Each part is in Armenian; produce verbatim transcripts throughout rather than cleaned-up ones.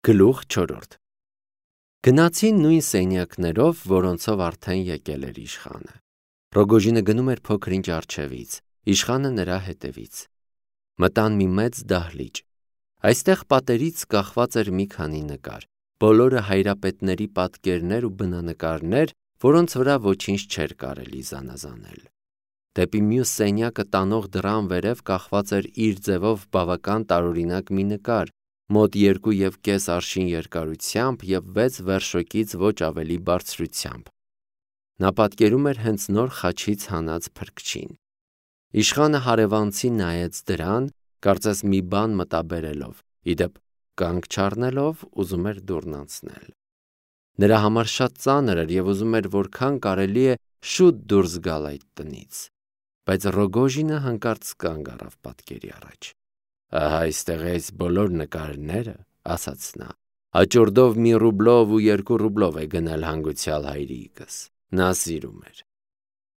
Գլուխ չորրորդ Գնացին նույն սենյակներով, որոնցով արդեն եկել էր իշխանը։ Ռոգոժինը գնում էր փոքր-ինչ առջևից, իշխանը նրա հետևից։ Մտան մի մեծ դահլիճ։ Այստեղ պատերից կախված էր մի քանի նկար, բոլորը հայրապետների պատկերներ ու բնանկարներ, որոնց վրա ոչինչ չէր կարելի զանազանել։ Դեպի մյուս սենյակը տանող դռան վերև կախված էր իր ձևով բավական տարօրինակ մի նկար, մոտ երկու և կես արշին երկարությամբ և վեց վերշոկից ոչ ավելի բարձրությամբ։ Նա պատկերում էր հենց նոր խաչից հանած փրկչին։ Իշխանը հարևանցի նայեց դրան, կարծես մի բան մտաբերելով, ի դեպ կանգ չառնելով ուզում էր դուռն անցնել։ Նրա համար շատ ծանր էր և ուզում էր որքան կարելի է շուտ դուրս գալ այդ տնից, բայց Ռոգոժինը հանկարծ կանգ առավ պատկերի առաջ։ Ահա այստեղ է այս բոլոր նկարները, ասաց նա, հաջորդով մի ռուբլով ու երկու ռուբլով է գնել հանգուցյալ հայրիկս, նա սիրում էր։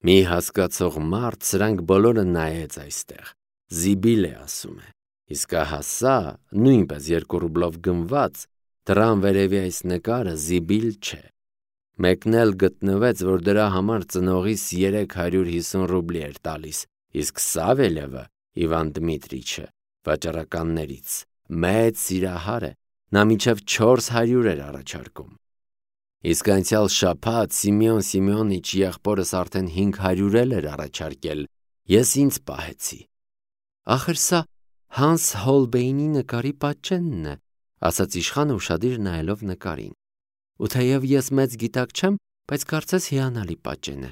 Մի հասկացող մարդ սրանք բոլորը նայեց այստեղ, զիբիլ է ասում է, իսկ ահա սա, նույնպես երկու ռուբլով գնված, դռան վերևի այս նկարը զիբիլ չէ։ Մեկն էլ գտնվեց, որ դրա համար ծնողիս երեք հարյուր հիսուն ռուբլի էր տալիս, իսկ Սավելևը, Իվան Դմիտրիչը, վաճառականներից, մեծ սիրահար է, նա մինչև չորս հարյուր էր առաջարկում։ Իսկ անցյալ շաբաթ Սիմեոն Սիմեոնիչ եղբորս արդեն հինգ հարյուր էր առաջարկել, ես ինձ պահեցի։ Ախր սա Հանս Հոլբեյնի նկարի պատճենն է, ասաց իշխանը ուշադիր նայելով նկարին։ Ու թեև ես մեծ գիտակ չեմ, բայց կարծես հիանալի պատճեն է։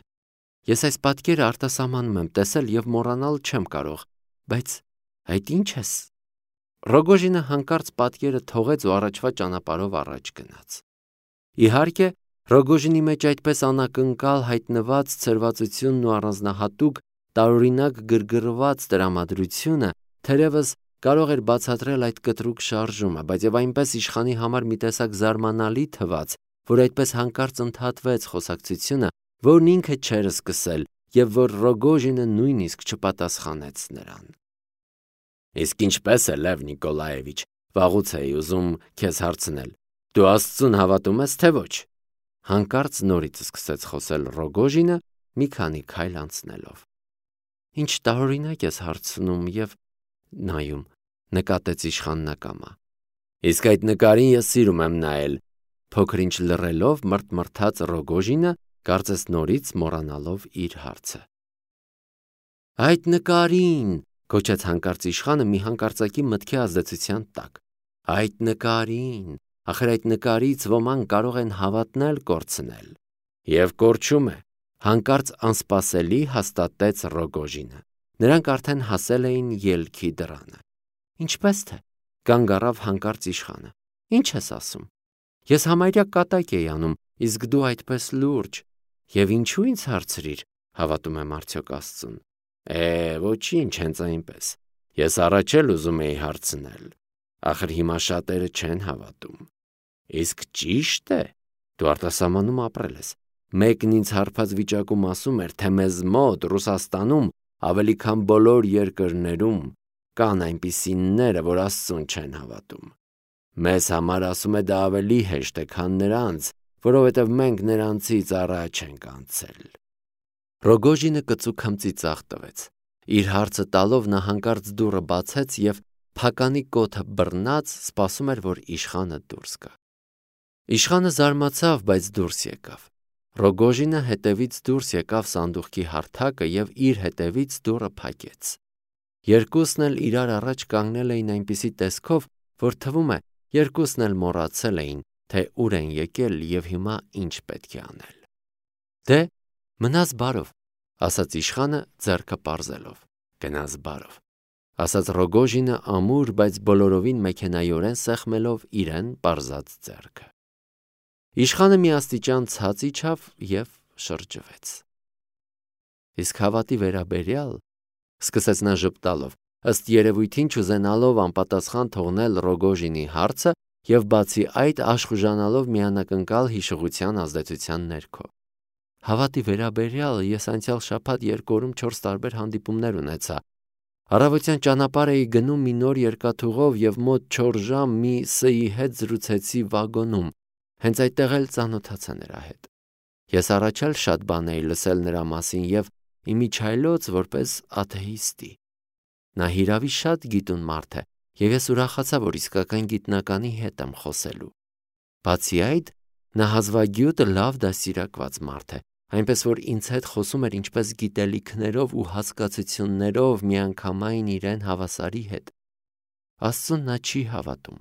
Ես այս պատկերը արտասահմանում եմ տեսել և մոռանալ չեմ կարող, բայց այդ ի՞նչ ես։ Ռոգոժինը հանկարծ պատկերը թողեց ու առաջվա ճանապարհով առաջ գնաց։ Իհարկե, Ռոգոժինի մեջ այդպես անակնկալ հայտնված ցրվածությունն ու առանձնահատուկ տարօրինակ գրգռված տրամադրությունը թերևս կարող էր բացատրել այդ կտրուկ շարժումը, բայց և այնպես իշխանի համար մի տեսակ զարմանալի թվաց, որ այդպես հանկարծ ընդհատվեց խոսակցությունը, որն ինքը չէր սկսել և որ Ռոգոժինը նույնիսկ չպատասխանեց նրան։ Իսկ ինչպե՞ս է, Լև Նիկոլաևիչ, վաղուց էի ուզում քեզ հարցնել, դու Աստծուն հավատում ես, թե ոչ։ Հանկարծ նորից սկսեց խոսել Ռոգոժինը, մի քանի քայլ անցնելով։ Ինչ տարօրինակ ես հարցնում և նայում, նկատեց իշխանն ակամա։ Իսկ այդ նկարին ես սիրում եմ նայել, փոքր-ինչ լռելով մռթմռթաց Ռոգոժինը, կարծես նորից մոռանալով իր հարցը։ Այդ նկարին, գոչեց հանկարծ իշխանը մի հանկարծակի մտքի ազդեցության տակ։ Այդ նկարին, ախր այդ նկարից ոմանք կարող են հավատնել կորցնել։ Եվ կորչում է, հանկարծ անսպասելի հաստատեց Ռոգոժինը։ Նրանք արդեն հասել էին ելքի դռանը։ Ինչպես թե, կանգ առավ հանկարծ իշխանը։ Ինչ ես ասում։ Ես համարյա կատակ էի անում, իսկ դու այդպես լուրջ։ Եվ ինչու ինձ հարցրիր, հավատում եմ արդյոք Աստծուն։ Է, ոչինչ, հենց այնպես։ Ես առաջ էլ ուզում էի հարցնել։ Ախր հիմա շատերը չեն հավատում։ Իսկ ճիշտ է, դու արտասահմանում ապրել ես։ Մեկն ինձ հարբած վիճակում ասում էր, թե մեզ մոտ Ռուսաստանում ավելի քան բոլոր երկրներում կան այնպիսիները, որ Աստծուն չեն հավատում։ Մեզ համար ասում է դա ավելի հեշտ է, քան նրանց, որովհետև մենք նրանցից առաջ ենք անցել։ Ռոգոժինը կծու քմծիծաղ տվեց։ Իր հարցը տալով նա հանկարծ դուռը բացեց և փականի կոթը բռնած սպասում էր, որ իշխանը դուրս գա։ Իշխանը զարմացավ, բայց դուրս եկավ։ Ռոգոժինը հետևից դուրս եկավ սանդուղքի հարթակը և իր հետևից դուռը փակեց։ Երկուսն էլ իրար առաջ կանգնել էին այնպիսի տեսքով, որ թվում է, երկուսն էլ մոռացել էին, թե ուր են եկել և հիմա ինչ պետք է անել։ Դե, մնաս բարով, ասաց իշխանը ձեռքը պարզելով։ Գնաս բարով, ասաց Ռոգոժինը ամուր, բայց բոլորովին մեքենայորեն սեղմելով իրեն պարզած ձեռքը։ Իշխանը մի աստիճան ցած իջավ և շրջվեց։ Իսկ հավատի վերաբերյալ, սկսեց նա ժպտալով, ըստ երևույթին չուզենալով անպատասխան թողնել Ռոգոժինի հարցը և բացի այդ աշխուժանալով մի անակնկալ հիշողության ազդեցության ներքո։ Հավատի վերաբերյալ ես անցյալ շաբաթ երկու օրում չորս տարբեր հանդիպումներ ունեցա, Առավոտյան ճանապարհ էի գնում մի նոր երկաթուղով և մոտ չորս ժամ մի Ս-ի հետ զրուցեցի վագոնում, հենց այդտեղ էլ ծանոթացա նրա հետ։ Ես առաջ էլ շատ բան էի լսել նրա մասին և իմիջիայլոց որպես աթեիստի։ Նա հիրավի շատ գիտուն մարդ է, և ես ուրախացա, որ իսկական գիտնականի հետ եմ խոսելու։ Բացի այդ, նա հազվագյուտ լավ դաստիարակված մարդ է, այնպես որ ինձ հետ խոսում էր ինչպես գիտելիքներով ու հասկացություններով միանգամայն իրեն հավասարի հետ։ Աստծուն նա չի հավատում։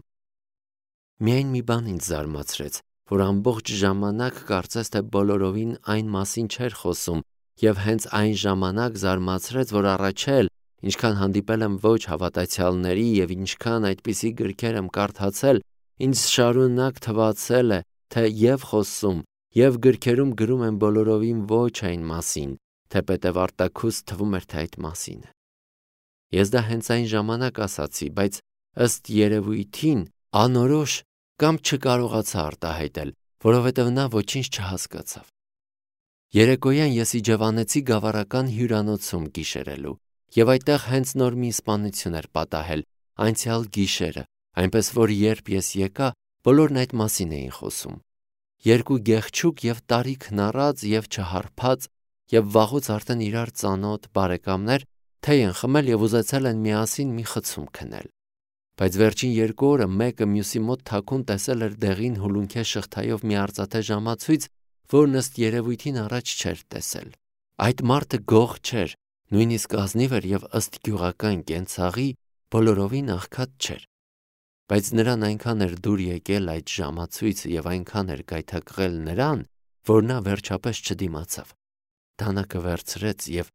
Միայն մի բան ինձ զարմացրեց, որ ամբողջ ժամանակ կարծես թե բոլորովին այն մասին չէր խոսում, և հենց այն ժամանակ զարմացրեց, որ առաջ էլ, ինչքան հանդիպել եմ ոչ հավատացյալների և ինչքան այդպիսի գրքեր եմ կարդացել, ինձ շարունակ թվացել է, թե և խոսում, և գրքերում գրում են բոլորովին ոչ այն մասին, թեպետև արտաքուստ թվում էր, թե այդ մասին է։ Ես դա հենց այն ժամանակ ասացի, բայց ըստ երևույթին անորոշ կամ չկարողացա արտահայտել, որովհետև նա ոչինչ չհասկացավ։ Երեկոյան ես իջևանեցի գավառական հյուրանոցում գիշերելու, և այդտեղ հենց նոր մի սպանություն էր պատահել, անցյալ գիշերը, այնպես որ երբ ես եկա, բոլորն այդ մասին էին խոսում։ Երկու գեղչուկ և տարիքն առած և չհարփած և վաղուց արդեն իրար ծանոթ բարեկամներ թեյ են խմել և ուզեցել են միասին մի խցում քնել։ Բայց վերջին երկու օրը մեկը մյուսի մոտ թաքուն տեսել էր դեղին հուլունքե շղթայով մի արծաթե ժամացույց, որն ըստ երևույթին առաջ չէր տեսել։ Այդ մարդը գող չէր, նույնիսկ ազնիվ էր և ըստ գյուղական կենցաղի բոլորովին աղքատ չէր։ Բայց նրան այնքան էր դուր եկել այդ ժամացույցը և այնքան էր գայթակղել նրան, որ նա վերջապես չդիմացավ։ Դանակը վերցրեց և,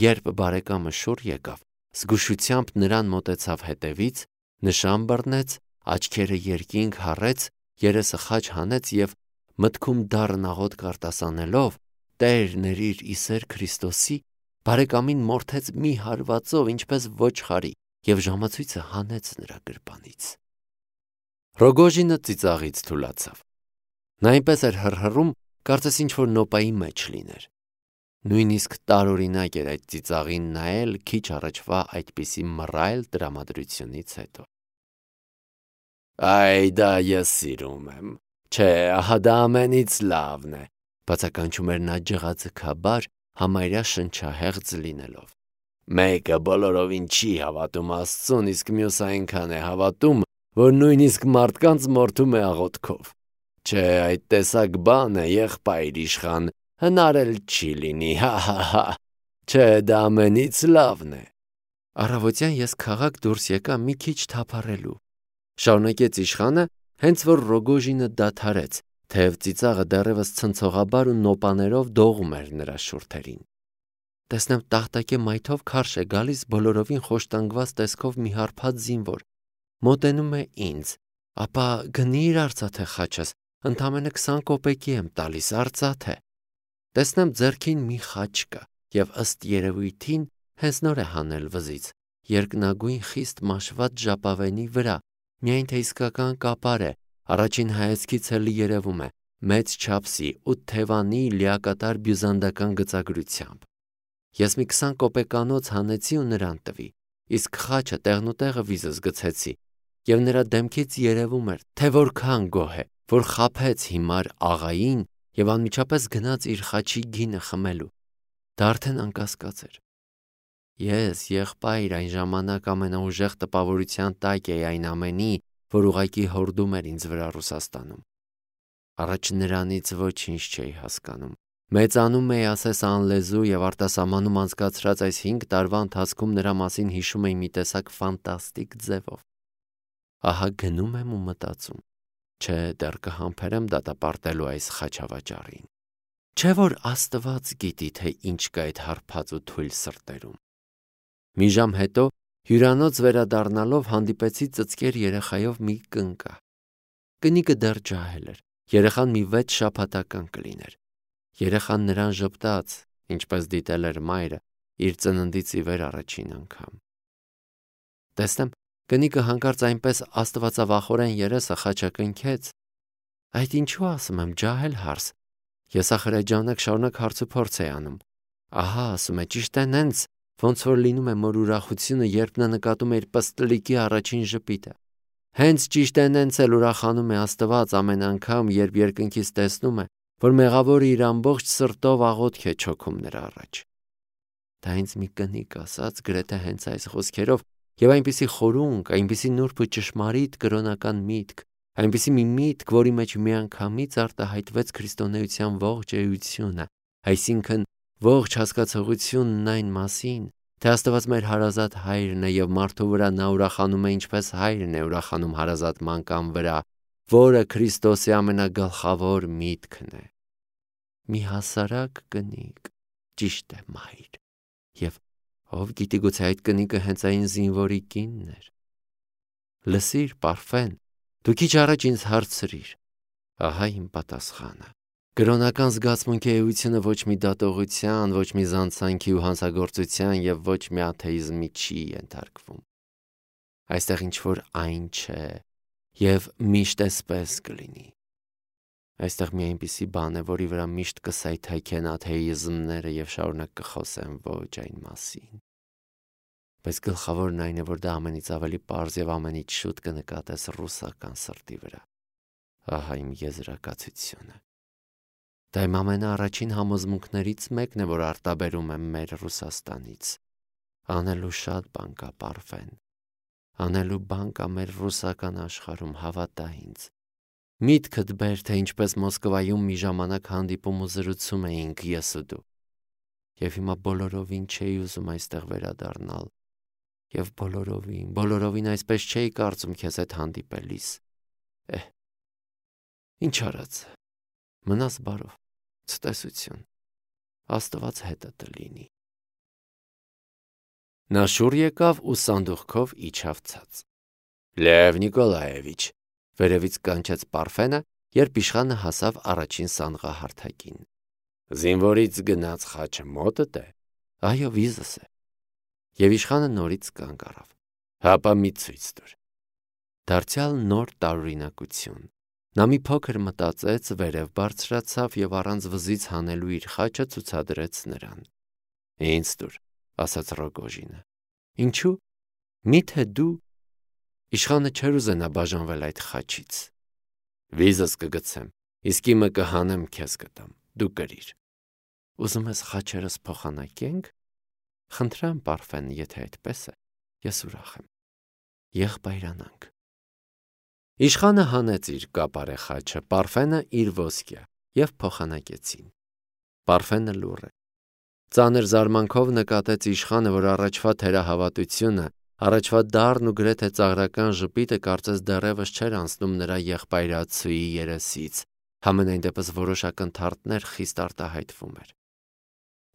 երբ բարեկամը շուռ եկավ, զգուշությամբ նրան մոտեցավ հետևից, նշան բռնեց, աչքերը երկինք հառեց, երեսը խաչ հանեց և մտքում դառն աղոթք արտասանելով. «Տեր, ների՛ր ի սեր Քրիստոսի», բարեկամին մորթեց մի հարվածով, ինչպես ոչխարի, և ժամացույցը հանեց նրա գրպանից։ Ռոգոժինը ծիծաղից թուլացավ։ Նա այնպես էր հռհռում, կարծես ինչ-որ նոպայի մեջ լիներ։ Նույնիսկ տարօրինակ էր այդ ծիծաղին նայել քիչ առաջվա այդպիսի մռայլ տրամադրությունից հետո։ «Այ դա ես սիրում եմ, չէ, ահա դա ամենից լավն է», բացականչում էր նա ջղաձգաբար, համարյա շնչահեղձ լինելով։ «Մեկը բոլորովին չի հավատում Աստծուն, իսկ մյուսը այնքան է հավատում, որ նույնիսկ մարդկանց մորթում է աղոթքով։ Չէ, այդ տեսակ բան է, եղբայր իշխան, հնարել չի լինի, հա՛֊հա՛֊հա՛, չէ, դա ամենից լավն է»։ Առավոտյան ես քաղաք դուրս եկա մի քիչ թափառելու, շարունակեց իշխանը, հենց որ Ռոգոժինը դադարեց, թեև ծիծաղը դեռևս ցնցողաբար ու նոպաներով դողում էր նրա շուրթերին։ Տեսնեմ տախտակե մայթով քարշ է գալիս բոլորովին խոշտանգված տեսքով մի հարբած զինվոր, մոտենում է ինձ, ապա գնի՛ր արծաթե խաչս, ընդամենը քսան կոպեկի եմ տալիս, արծաթե։ Տեսնեմ ձեռքին մի խաչ կա, և ըստ երևույթին հենց նոր է հանել վզից, երկնագույն խիստ մաշված ժապավենի վրա, միայն թե իսկական կապար է, առաջին հայացքից էլի երևում է, մեծ չափսի, ութ թևանի լիակատար բյուզանդական գծագրությամբ։ Ես մի քսան կոպեկանոց հանեցի ու նրան տվի, իսկ խաչը տեղնուտեղը վիզս գցեցի, և նրա դեմքից երևում էր, թե որքան գոհ է, որ խաբեց հիմար աղային և անմիջապես գնաց իր խաչի գինը խմելու։ Դա արդեն անկասկած էր։ Ես, եղբայր, այն ժամանակ ամենաուժեղ տպավորության տակ էի այն ամենի, որ ուղղակի հորդում էր ինձ վրա Ռուսաստանում։ Առաջ նրանից ոչինչ չէի հասկանում։ Մեծանում էի ասես անլեզու և արտասահմանում անցկացրած այս հինգ տարվա ընթացքում նրա մասին հիշում էի մի տեսակ ֆանտաստիկ ձևով։ Ահա գնում եմ ու մտածում. չէ, դեռ կհամբերեմ դատապարտելու այս խաչավաճառին։ Չէ՞ որ Աստված գիտի, թե ինչ կա այդ հարբած ու թույլ սրտերում։ Մի ժամ հետո, հյուրանոց վերադառնալով, հանդիպեցի ծծկեր երեխայով մի կնկա։ Կնիկը դեռ ջահել էր, երեխան մի վեց շաբաթական կլիներ։ Երեխան նրան ժպտաց, ինչպես դիտել էր մայրը, իր ծննդից ի վեր առաջին անգամ։ Տեսնեմ, կնիկը հանկարծ այնպես աստվածավախորեն երեսը խաչակնքեց։ Այդ ինչու ասում եմ, ջահել հարս։ Ես ախր այդ ժամանակ շարունակ հարցուփորձ էի անում։ Ահա, ասում է, ճիշտ է նենց, ոնց որ լինում է մոր ուրախությունը, երբ նա նկատում է իր պստլիկի առաջին ժպիտը։ Հենց ճիշտ այնենց էլ ուրախանում է Աստված ամեն անգամ, երբ երկնքից տեսնում է, որ մեղավորը իր ամբողջ սրտով աղոթք է չոքում նրա առաջ։ Դա ինձ մի կնիկ ասաց գրեթե հենց այս խոսքերով, եւ այնպիսի խորունկ, այնպիսի նուրբ ու ճշմարիտ կրոնական միտք, այնպիսի մի միտք, որի մեջ միանգամից արտահայտվեց քրիստոնեության ողջ էությունը, այսինքն ողջ հասկացողությունն այն մասին, թե Աստված մեր հարազատ հայրն է եւ մարդու վրա նա ուրախանում է ինչպես հայրն է ուրախանում հարազատ մանկան վրա, որը Քրիստոսի ամենագլխավոր միտքն է։ Մի հասարակ կնիկ, ճիշտ է, մայր, եւ ով գիտի գուցե այդ կնիկը հենց այն զինվորի կինն էր։ Լսիր, Պարֆեն, դու քիչ առաջ ինձ հարցրիր։ Ահա իմ պատասխանը։ Կրոնական զգացմունքի էությունը ոչ մի դատողության, ոչ մի զանցանքի ու հանցագործության եւ ոչ մի աթեիզմի չի ենթարկվում։ Այստեղ ինչ որ այն չէ եւ միշտ էսպես կլինի։ Այստեղ մի այնպիսի բան է, որի վրա միշտ կսայթայքեն աթեիզմները եւ շարունակ կխոսեն ոչ այն մասին։ Բայց գլխավորն այն է, որ դա ամենից ավելի պարզ եւ ամենից շուտ կնկատես ռուսական սրտի վրա։ Ահա իմ եզրակացությունը։ Դա իմ ամենաառաջին համոզմունքներից մեկն է, որ արտաբերում եմ մեր Ռուսաստանից։ Անելու շատ բան կա, Պարֆեն։ Անելու բան կա մեր ռուսական աշխարհում, հավատա ինձ։ Միտքդ բեր, թե ինչպես Մոսկվայում մի ժամանակ հանդիպում ու զրուցում էինք ես ու դու։ Եվ հիմա բոլորովին չէի ուզում այստեղ վերադառնալ։ Եվ բոլորովին, բոլորովին այսպես չէի կարծում քեզ հետ հանդիպելիս։ Էհ, ինչ արած, մնաս բարով, ցտեսություն, Աստված հետդ լինի։ Նա շուռ եկավ ու սանդուղքով իջավ ցած։ Լև Նիկոլաևիչ, վերևից կանչեց Պարֆենը, երբ իշխանը հասավ առաջին սանղահարթակին։ Զինվորից գնաց խաչը մոտդ է։ Այո, վիզս է։ Եվ իշխանը նորից կանգ առավ։ Հապա մի ցույց տուր։ Դարձյալ նոր տարօրինակություն։ Նա մի փոքր մտածեց, վերև բարձրացավ եւ առանց վզից հանելու իր խաչը ցուցադրեց նրան։ Ինձ տուր, ասաց Ռոգոժինը։ Ինչու՞։ Միթե դու։ Իշխանը չէր ուզենա բաժանվել այդ խաչից։ Վիզս կգցեմ, իսկ իմը կհանեմ քեզ կտամ, դու կրիր։ Ուզում ես խաչերս փոխանակենք։ Խնդրեմ, Պարֆեն, եթե այդպես է, ես ուրախ եմ։ Եղբայրանանք։ Իշխանը հանեց իր կապարե խաչը, Պարֆենը իր ոսկյա, եւ փոխանակեցին։ Պարֆենը լուռ է։ Ծանր զարմանքով նկատեց իշխանը, որ առաջվա թերահավատությունը, առաջվա դառն ու գրեթե ծաղրական ժպիտը կարծես դեռևս չէր անցնում նրա եղբայրացուի երեսից, համենայն դեպս որոշական թարթներ խիստ արտահայտվում էր։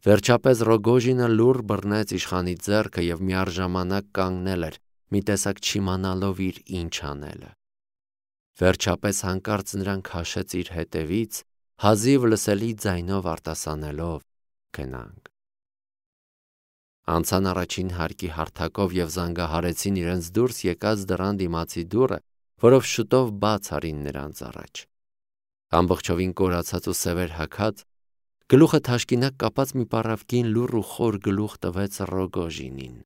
Վերջապես Ռոգոժինը լուռ բռնեց իշխանի ձեռքը եւ միառժամանակ կանգնել էր, մի տեսակ չիմանալով իր ինչ անելը։ Վերջապես հանկարծ նրան քաշեց իր հետևից, հազիվ լսելի ձայնով արտասանելով. «Գնանք»։ Անցան առաջին հարկի հարթակով եւ զանգահարեցին իրենց դուրս եկած դռան դիմացի դուռը, որով շուտով բաց արին նրանց առաջ։ Ամբողջովին կորացած ու սևեր հագած, գլուխը թաշկինակ կապած մի պառավկին լուռ ու խոր գլուխ տվեց Ռոգոժինին։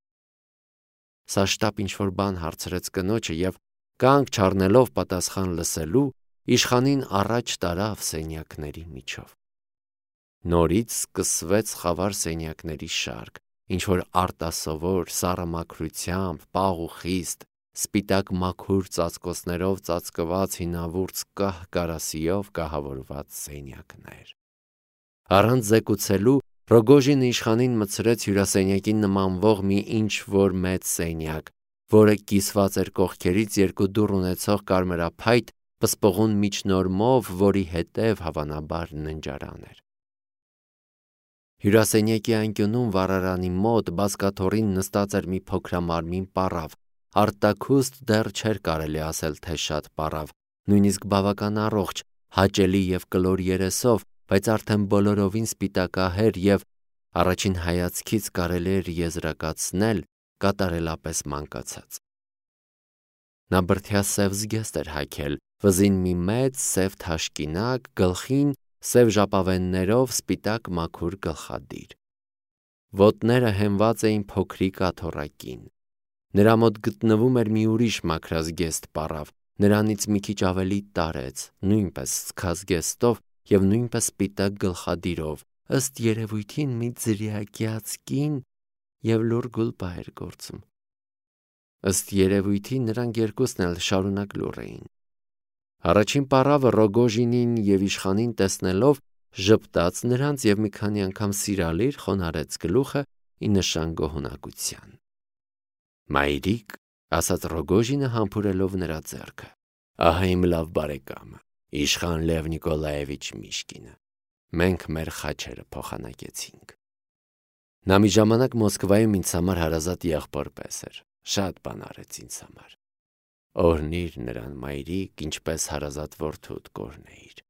Սա շտապ ինչ-որ բան հարցրեց կնոջը եւ կանգ չառնելով պատասխան լսելու, իշխանին առաջ տարավ սենյակների միջով։ Նորից սկսվեց խավար սենյակների շարք, ինչ-որ արտասովոր, սառը մաքրությամբ, պաղ ու խիստ, սպիտակ մաքուր ծածկոցներով ծածկված հինավուրց կահ կարասիով կահավորված սենյակներ։ Առանց զեկուցելու Ռոգոժինը իշխանին մտցրեց հյուրասենյակին նմանվող մի ինչ-որ մեծ սենյակ, որը կիսված էր կողքերից երկու դուռ ունեցող կարմրափայտ պսպղուն միջնորմով, որի հետև հավանաբար ննջարան էր։ Հյուրասենյակի անկյունում վառարանի մոտ բազկաթոռին նստած էր մի փոքրամարմին պառավ, արտաքուստ դեռ չէր կարելի ասել, թե շատ պառավ, նույնիսկ բավական առողջ, հաճելի եւ կլոր երեսով, բայց արդեն բոլորովին սպիտակահեր եւ առաջին հայացքից կարելի էր եզրակացնել կատարելապես մանկացած։ Նա բրդյա սև զգեստ էր հագել, վզին մի մեծ սև թաշկինակ, գլխին սև ժապավեններով սպիտակ մաքուր գլխադիր։ ոտները հենված էին փոքրիկ աթոռակին։ Նրա մոտ գտնվում էր մի ուրիշ մաքրազգեստ պառավ, նրանից մի քիչ ավելի տարեց, նույնպես սքազգեստով և նույնպես սպիտակ գլխադիրով, ըստ երևույթին մի ձրիակյաց կին և լուռ գուլպա էր գործում։ Ըստ երևույթին նրանք երկուսն էլ շարունակ լուռ էին։ Առաջին պառավը Ռոգոժինին և իշխանին տեսնելով ժպտաց նրանց և մի քանի անգամ սիրալիր խոնարհեց գլուխը ի նշան գոհունակության։ «Մայրիկ», ասաց Ռոգոժինը համբուրելով նրա ձեռքը, «ահա իմ լավ բարեկամը, իշխան Լև Նիկոլաևիչ Միշկինը, մենք մեր խաչերը փոխանակեցինք։ Նա մի ժամանակ Մոսկվայում ինձ համար հարազատ եղբոր պես էր, շատ բան արեց ինձ համար։ Օրհնիր նրան, մայրիկ, ինչպես հարազատ որդուդ կօրհնեիր։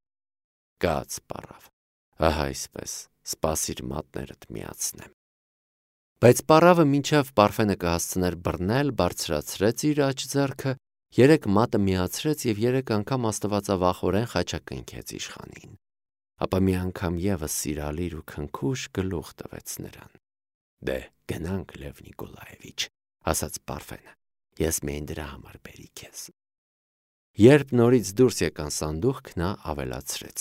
Կաց պառավ, ահա այսպես, սպասիր մատներդ միացնեմ»։ Բայց պառավը մինչև Պարֆենը կհասցներ բռնել, բարձրացրեց իր աջ ձեռքը, երեք մատը միացրեց և երեք անգամ աստվածավախորեն խաչակնքեց իշխանին, ապա մի անգամ ևս սիրալիր ու քնքուշ գլուխ տվեց նրան։ «Դե, գնանք, Լև Նիկոլաևիչ», ասաց Պարֆենը, «ես միայն դրա համար բերի քեզ»։ Երբ նորից դուրս եկան սանդուղք, նա ավելացրեց.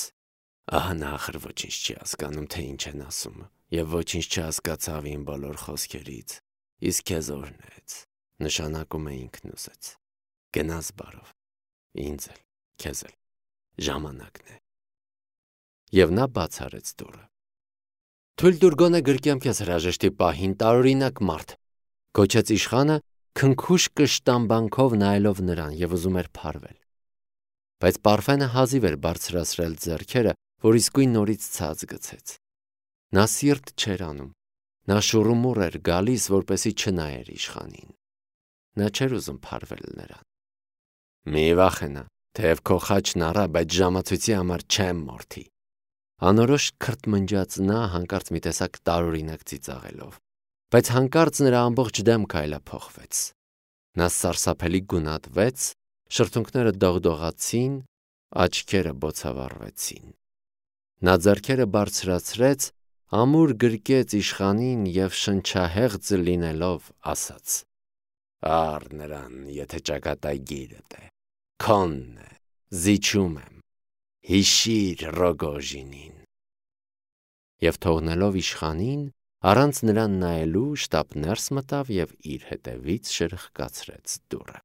«Ահա նա ախր ոչինչ չի հասկանում, թե ինչ են ասում, և ոչինչ չհասկացավ իմ բոլոր խոսքերից, իսկ քեզ օրհնեց, նշանակում է ինքն ուզեց։ Գնաս բարով, ինձ էլ, քեզ էլ, ժամանակն է»։ Եվ նա բաց արեց դուռը։ «Թույլ տուր գոնե գրկեմ քեզ հրաժեշտի պահին, տարօրինակ մարդ», գոչեց իշխանը, քնքուշ կշտամբանքով նայելով նրան և ուզում էր փարվել։ Բայց Պարֆենը հազիվ էր բարձրացրել ձեռքերը, որ իսկույն նորից ցած գցեց։ Նա սիրտ չէր անում, նա շուռումուռ էր գալիս, որպեսզի չնայեր իշխանին։ Նա չէր ուզում փարվել նրան։ «Մի վախենա, թեև քո խաչն առա, բայց ժամացույցի համար չեմ մորթի», անորոշ քրթմնջաց նա, հանկարծ մի տեսակ տարօրինակ ծիծաղելով։ Բայց հանկարծ նրա ամբողջ դեմքը այլափոխվեց։ Նա սարսափելի գունատվեց, շրթունքները դողդողացին, աչքերը բոցավառվեցին։ Նա ձեռքերը բարձրացրեց, ամուր գրկեց իշխանին և շնչահեղձ լինելով ասաց. «Առ նրան, եթե ճակատագիրդ է, քոնն է, զիջում եմ, հիշիր Ռոգոժինին»։ Եվ թողնելով իշխանին, առանց նրան նայելու շտապ ներս մտավ և իր հետևից շրխկացրեց դուռը։